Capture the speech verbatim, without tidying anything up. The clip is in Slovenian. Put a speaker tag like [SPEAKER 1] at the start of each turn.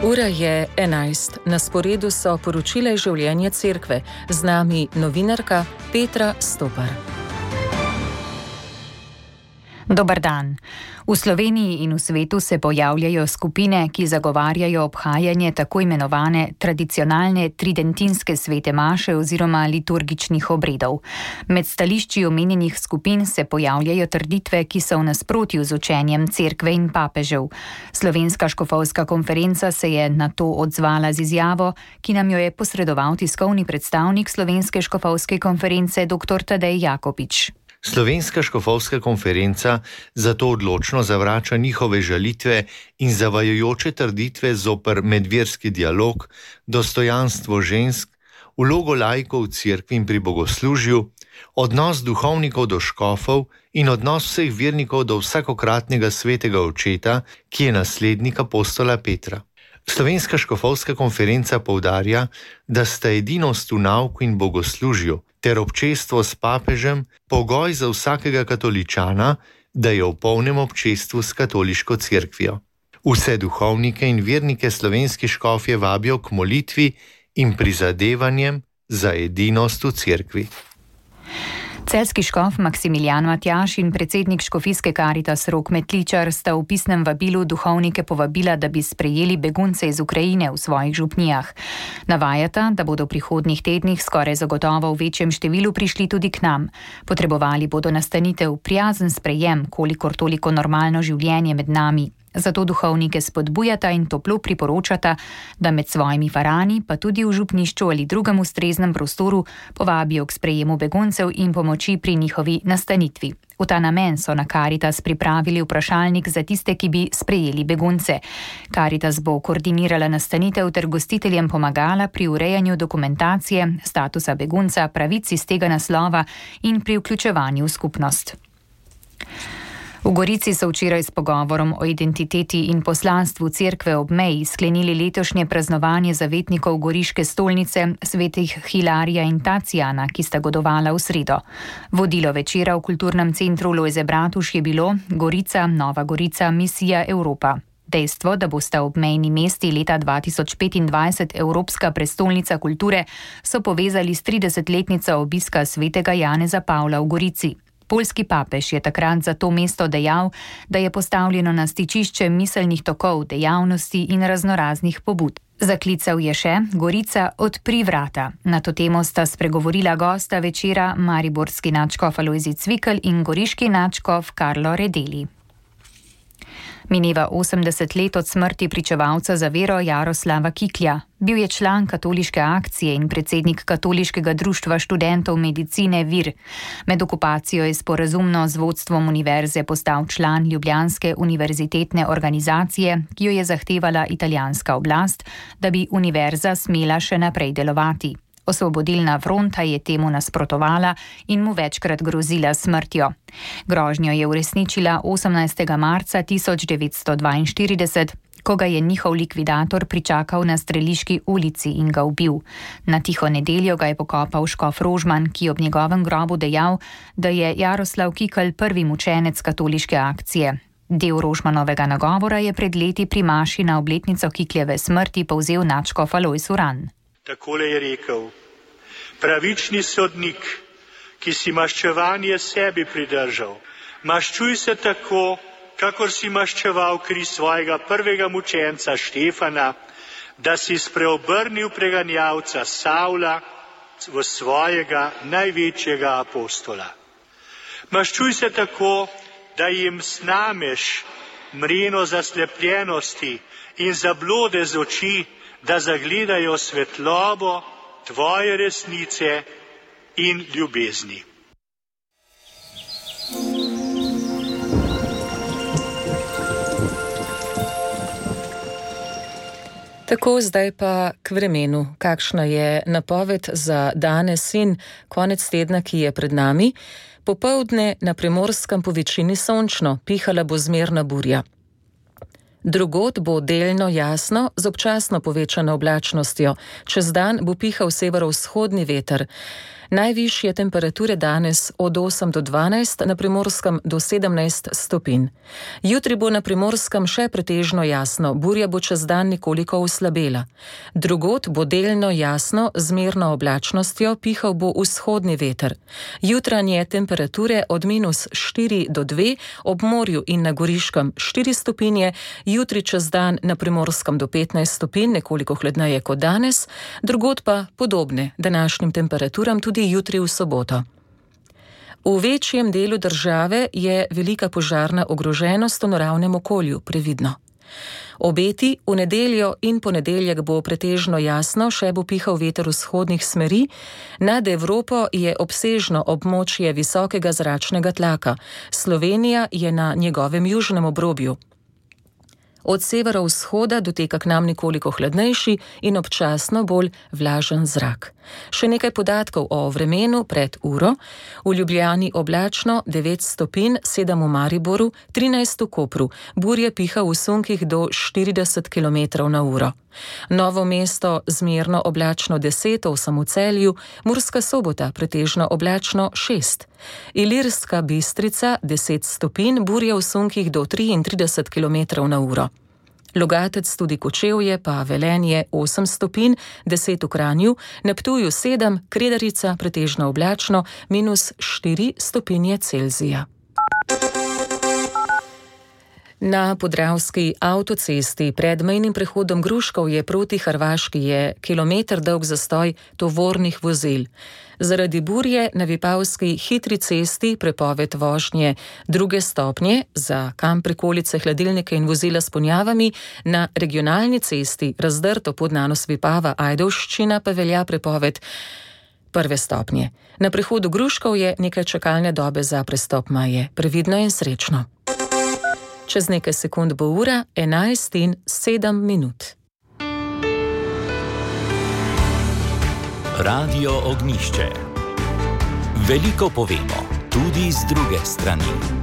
[SPEAKER 1] Ura je enajst. Na sporedu so poročila iz življenja cerkve. Z nami novinarka Petra Stopar.
[SPEAKER 2] Dober dan. V Sloveniji in v svetu se pojavljajo skupine, ki zagovarjajo obhajanje tako imenovane tradicionalne tridentinske svete maše oziroma liturgičnih obredov. Med stališči omenjenih skupin se pojavljajo trditve, ki so v nasprotju z učenjem cerkve in papežev. Slovenska škofovska konferenca se je na to odzvala z izjavo, ki nam jo je posredoval tiskovni predstavnik Slovenske škofovske konference dr. Tadej Jakopič.
[SPEAKER 3] Slovenska škofovska konferenca zato odločno zavrača njihove žalitve in zavajajoče trditve zoper medverski dialog, dostojanstvo žensk, vlogo laikov v cerkvi in pri bogoslužju, odnos duhovnikov do škofov in odnos vseh vernikov do vsakokratnega svetega očeta, ki je naslednik apostola Petra. Slovenska škofovska konferenca poudarja, da sta edinost v nauku in bogoslužju ter občestvo s papežem pogoj za vsakega katoličana, da je v polnem občestvu s katoliško cerkvijo. Vse duhovnike in vernike slovenski škofje vabijo k molitvi in prizadevanjem za edinost v cerkvi.
[SPEAKER 2] Celjski škof Maksimilijan Matjaž in predsednik škofijske Karitas Rok Metličar sta v pisnem vabilu duhovnike povabila, da bi sprejeli begunce iz Ukrajine v svojih župnijah. Navajata, da bodo v prihodnjih tednih skoraj zagotovo v večjem številu prišli tudi k nam. Potrebovali bodo nastanitev, prijazen sprejem, kolikor toliko normalno življenje med nami. Zato duhovnike spodbujata in toplo priporočata, da med svojimi farani, pa tudi v župnišču ali drugem ustreznem prostoru, povabijo k sprejemu beguncev in pomoči pri njihovi nastanitvi. V ta namen so na Karitas pripravili vprašalnik za tiste, ki bi sprejeli begunce. Karitas bo koordinirala nastanitev ter gostiteljem pomagala pri urejanju dokumentacije, statusa begunca, pravic iz tega naslova in pri vključevanju v skupnost. V Gorici so včeraj s pogovorom o identiteti in poslanstvu cerkve ob meji sklenili letošnje praznovanje zavetnikov goriške stolnice svetih Hilarija in Tacijana, ki sta godovala v sredo. Vodilo večera v kulturnem centru Lojze Bratuš je bilo Gorica, Nova Gorica, misija Evropa. Dejstvo, da bosta obmejni mesti leta dva tisoč petindvajset Evropska prestolnica kulture, so povezali s tridesetletnico obiska svetega Janeza Pavla v Gorici. Poljski papež je takrat za to mesto dejal, da je postavljeno na stičišče miselnih tokov, dejavnosti in raznoraznih pobud. Zaklical je še: Gorica, odpri vrata. Na to temo sta spregovorila gosta večera mariborski nadškof Alojzij Cvikl in goriški nadškof Karlo Redeli. Mineva osemdeset let od smrti pričevalca za vero Jaroslava Kiklja. Bil je član katoliške akcije in predsednik katoliškega društva študentov medicine Vir. Med okupacijo je sporazumno z vodstvom univerze postal član ljubljanske univerzitetne organizacije, ki jo je zahtevala italijanska oblast, da bi univerza smela še naprej delovati. Osvobodilna fronta je temu nasprotovala in mu večkrat grozila smrtjo. Grožnjo je uresničila osemnajstega marca tisoč devetsto dvainštirideset, ko ga je njihov likvidator pričakal na Streliški ulici in ga ubil. Na tiho nedeljo ga je pokopal škof Rožman, ki je ob njegovem grobu dejal, da je Jaroslav Kikl prvi mučenec katoliške akcije. Del Rožmanovega nagovora je pred leti pri maši na obletnico Kikljeve smrti povzel nadškof Alojz Uran.
[SPEAKER 4] Takole je rekel: pravični sodnik, ki si maščevanje sebi pridržal, maščuj se tako, kakor si maščeval kri svojega prvega mučenca Štefana, da si spreobrnil preganjavca Savla v svojega največjega apostola. Maščuj se tako, da jim snameš mreno zaslepljenosti in zablode z oči, da zagledajo svetlobo tvoje resnice in ljubezni.
[SPEAKER 1] Tako, zdaj pa k vremenu. Kakšna je napoved za danes in konec tedna, ki je pred nami? Popoldne na Primorskem po večini sončno, pihala bo zmerna burja. Drugod bo delno jasno z občasno povečano oblačnostjo. Čez dan bo pihal severovzhodni veter. Najvišje temperature danes od osem do dvanajst, na Primorskem do sedemnajst stopinj. Jutri bo na Primorskem še pretežno jasno, burja bo čez dan nekoliko oslabela. Drugod bo delno jasno, z zmerno oblačnostjo, pihal bo vzhodni veter. Jutranje temperature od minus štiri do dve, ob morju in na Goriškem štiri stopinje, jutri čez dan na Primorskem do petnajst stopinj, nekoliko hladneje kot danes, drugod pa podobne današnjim temperaturam tudi jutri v soboto. V večjem delu države je velika požarna ogroženost v naravnem okolju, previdno. Obeti v nedeljo in ponedeljek bo pretežno jasno, še bo pihal veter vzhodnih smeri. Nad Evropo je obsežno območje visokega zračnega tlaka. Slovenija je na njegovem južnem obrobju. Od severovzhoda doteka k nam nekoliko hladnejši in občasno bolj vlažen zrak. Še nekaj podatkov o vremenu pred uro. V Ljubljani oblačno devet stopinj, sedem v Mariboru, trinajst v Kopru. Burje piha v sunkih do štirideset kilometrov na uro. Novo mesto zmerno oblačno deset, osem v Celju, Murska Sobota pretežno oblačno šest. Ilirska Bistrica deset stopinj, burje v sunkih do triintrideset kilometrov na uro. Logatec tudi Kočevje pa Velenje osem stopinj, deset v Kranju, na Ptuju sedem, Kredarica pretežno oblačno, minus štiri stopinje Celzija. Na podravski avtocesti pred mejnim prehodom Gruškovje proti Hrvaški je kilometer dolg zastoj tovornih vozil. Zaradi burje na Vipavski hitri cesti prepoved vožnje druge stopnje za kam prikolice, hladilnike in vozila s ponjavami, na regionalni cesti razdrto Podnanos Vipava Ajdovščina pa velja prepoved prve stopnje. Na prehodu Gruškovje nekaj čakalne dobe za prestop meje. Previdno in srečno. Čez nekaj sekund bo ura enajst in sedem minut.
[SPEAKER 5] Radio Ognjišče. Veliko povemo, tudi z druge strani.